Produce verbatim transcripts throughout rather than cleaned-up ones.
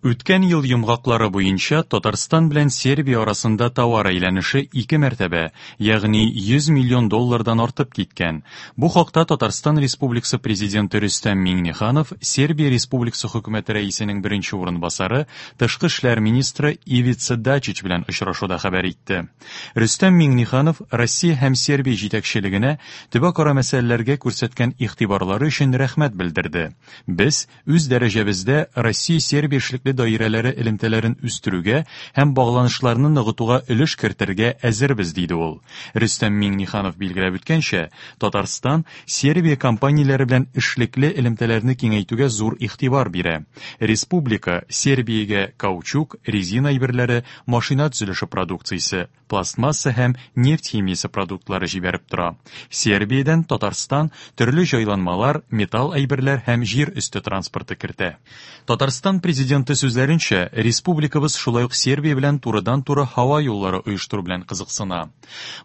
Үткән ел йомгаклары буенча Татарстан белән Сербия арасында товар әйләнеше ике мәртәбә, ягъни йөз миллион доллардан артып киткән. Бу хакта Татарстан Республикасы Президенты Рөстәм Миңнеханов Сербия Республикасы хөкүмәте рәисенең беренче урынбасары, тышкы эшләр министры Ивица Дачич белән очрашуда хәбәр итте. Рөстәм Миңнеханов Россия һәм Сербия җитәкчелегенә төбәкара мәсьәләләргә күрсәткән игътибарлары өчен рәхмәт белдерде. Без үз дәрәҗәбездә Россия-Сербия эшлекле даирәләре элемтәләрен үстерүгә һәм багланышларны ныгытуга өлеш кертергә әзербез, диде ул. Рөстәм Миңнеханов билгеләп үткәнчә, Татарстан Сербия компанияләре белән эшлекле элемтәләрне киңәйтүгә зур игътибар бирә. Республика Сербиягә каучук, резина әйберләре, машина төзелеше продукциясе, пластмасса һәм нефть химиясе продуктлары җибәреп тора. Сербиядән Татарстан төрле җайланмалар, металл әйберләр һәм җир өсте транспорты кертә. Татарстан президенты сүзләренчә, республикабыз шулай ук Сербия белән турыдан-туры һава юллары оештыру белән кызыксына.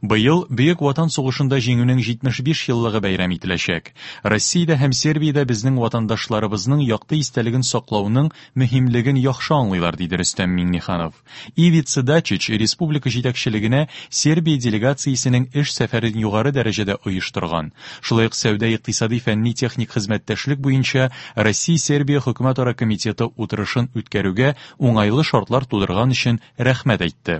Быел Бөек Ватан сугышында җиңүнең җитмеш биш еллыгы бәйрәм ителәчәк. Россиядә һәм Сербиядә безнең ватандашларыбызның якты истәлеген саклауның мөһимлеген яхшы аңлыйлар, диде Рөстәм Миңнеханов. Ивица Дачич республика җитәкчелегенә Сербия делегациясенең эш сәфәрен югары дәрәҗәдә оештырган. Шулай ук сәүдә-икътисади фәнни-техник хезмәттәшлек буенча Россия-Сербия хөкүмәтара комитеты утырышын үткәрүгә уңайлы шартлар тудырган өчен рәхмәт әйтте.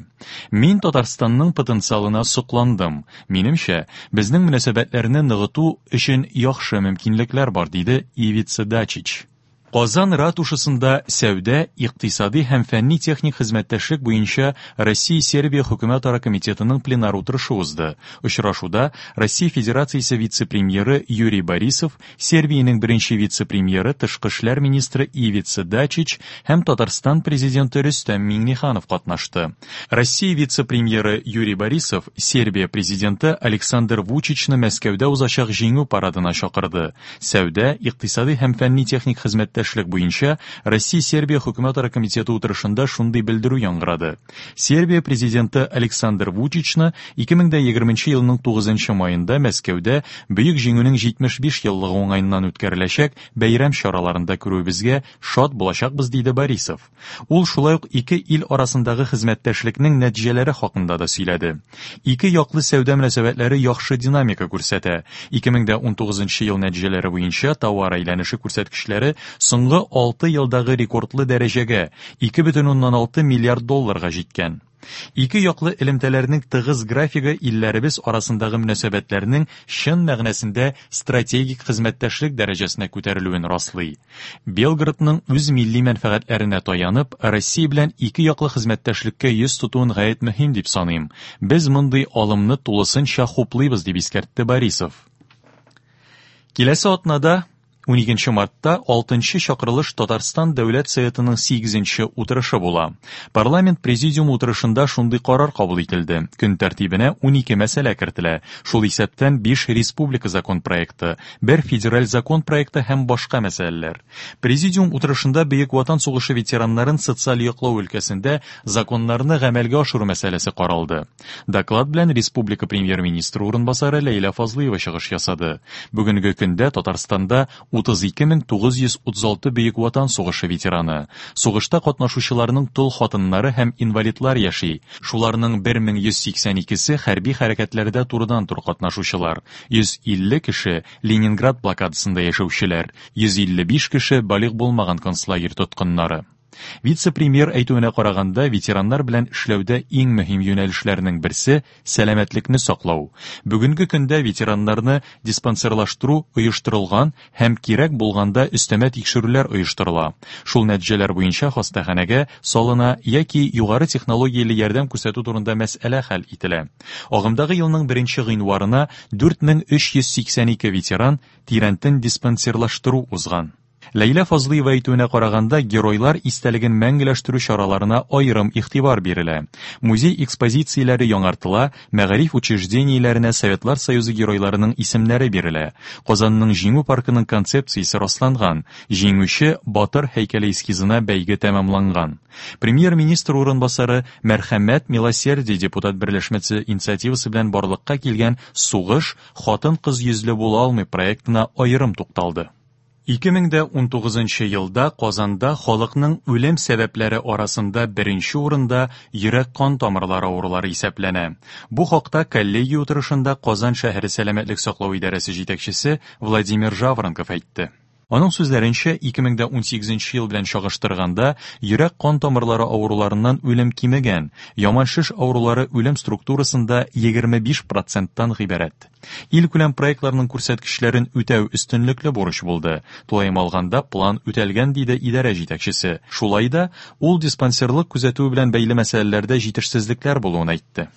Мин Татарстанның потенциалына сокландым. Минемчә, безнең мөнәсәбәтләрне ныгыту өчен яхшы мөмкинлекләр бар, диде Ивица Дачич. Казан ратушасында сәүдә, икътисади һәм фәнни-техник хезмәттәшлек буенча Россия-Сербия хөкүмәтара комитетының пленар утырышы узды. Очрашуда Россия Федерациясе вице-премьеры Юрий Борисов, Сербиянең беренче вице-премьеры, тышкы эшләр министры Ивица Дачич һәм Татарстан президенты Рөстәм Миңнеханов катнашты. Россия вице-премьеры Юрий Борисов Сербия президенты Александр Вучичны Мәскәүдә узачак җиңү парадына чакырды. Сәүдә, икътисади һәм фәнни-техник хезмәттәшлек буенча Россия-Сербия хөкүмәтара комитеты утырышында шундый белдерү яңгырады. Сербия президенты Александр Вучичны ике мең дә егерменче елның тугызынчы маенда Мәскәүдә Бөек Җиңүнең җитмеш биш еллыгы уңаеннан үткәреләчәк бәйрәм чараларында күрүебезгә шат булачакбыз, диде Борисов. Ул шулай ук ике ил арасындагы хезмәттәшлекнең нәтиҗәләре хакында да сөйләде. Ике яклы сәүдә мөнәсәбәтләре яхшы динамика күрсәтә. Ике мең дә унтугызынчы ел нәтиҗәләре буенча товар әйләнеше күрсәткечләре соңгы алты елдагы рекордлы дәрәҗәгә ике бөтен уннан алты миллиард долларга җиткән. Ике яклы элемтәләрнең тыгыз графигы илләребез арасындагы мөнәсәбәтләрнең чын мәгънәсендә стратегик хезмәттәшлек дәрәҗәсенә күтәрелүен раслый. Белградның үз милли мәнфәгатьләренә таянып, Россия белән ике яклы хезмәттәшлеккә йөз тотуын гаять мөһим дип саныйм. Без мондый алымны тулысынча хуплыйбыз, дип искәртте Борисов. Киләсе атнада уникенче мартта алтынчы чакырылыш Татарстан Дәүләт Советының сигезенче утырышы була. Парламент президиум утырышында шундый карар кабул ителде. Көн тәртибенә унике мәсьәлә кертелә. Шул исәптән биш республика закон проекты, бер федераль закон проекты һәм башка мәсьәләләр. Президиум утырышында Бөек Ватан сугышы ветераннарын социаль яклау өлкәсендә законнарны гамәлгә ашыру мәсьәләсе каралды. Доклад белән республика премьер-министры урынбасары Ләйлә Фазлыева чыгыш ясады. Бүгенге көндә Татарстанда утыз ике мең тугыз йөз утыз алты Бөек Ватан сугышы ветераны, сугышта катнашучыларның тол хатыннары һәм инвалидлар яши. Шуларның бер мең йөз сиксән икесе хәрби хәрәкәтләрдә турыдан-туры катнашучылар, йөз илле кеше Ленинград блокадасында яшәүчеләр, йөз илле биш кеше балигъ булмаган концлагерь тоткыннары. Вице-премьер әйтүенә караганда, ветераннар белән эшләүдә иң мөһим юнәлешләрнең берсе сәламәтлекне саклау. Бүгенге көндә ветераннарны диспансерлаштыру оештырылган һәм кирәк булганда өстәмә тикшерүләр оештырыла. Шул нәтиҗәләр буенча хастаханәгә салына яки югары технологияле ярдәм күрсәтү турында мәсьәлә хәл ителә. Агымдагы елның беренче гыйнварына дүрт мең өч йөз сиксән ике ветеран тирәнтен диспансерлаштыру узган. Ләйлә Фазлыева әйтүенә караганда, геройлар истәлеген мәңгеләштерү чараларына аерым игътибар бирелә. Музей экспозицияләре яңартыла, мәгариф учреждениеләренә Советлар Союзы геройларының исемнәре бирелә. Казанның Җиңү паркының концепциясе расланган, Җиңүче Батыр һәйкәле эскизына бәйге тәмамланган. Премьер-министр урынбасары Мәрхәмәт Милосердие депутат берләшмәсе инициативасы белән барлыкка килгән Сугыш хатын-кыз йөзле була алмый проектына аерым тукталды. Ике мең дә унтугызынчы елда Казанда халыкның үлем сәбәпләре арасында беренче урында йөрәк-кан тамырлары авырулары исәпләнә. Бу хакта коллегия утырышында Казан шәһәре сәламәтлек саклау идарәсе җитәкчесе Владимир Жаворонков әйтте. Аның сүзләренчә, ике мең дә унсигезенче ел белән чагыштырганда, йөрәк-кан тамырлары авыруларыннан үлем кимегән, яман шеш авырулары үлем структурасында егерме биш проценттан гыйбарәт. Илкүләм проектларның күрсәткечләрен үтәү өстенлекле бурыч булды. Тулаем алганда план үтәлгән, диде идарә җитәкчесе. Шулай да ул диспансерлык күзәтүе белән бәйле мәсьәләләрдә җитешсезлекләр булуын әйтте.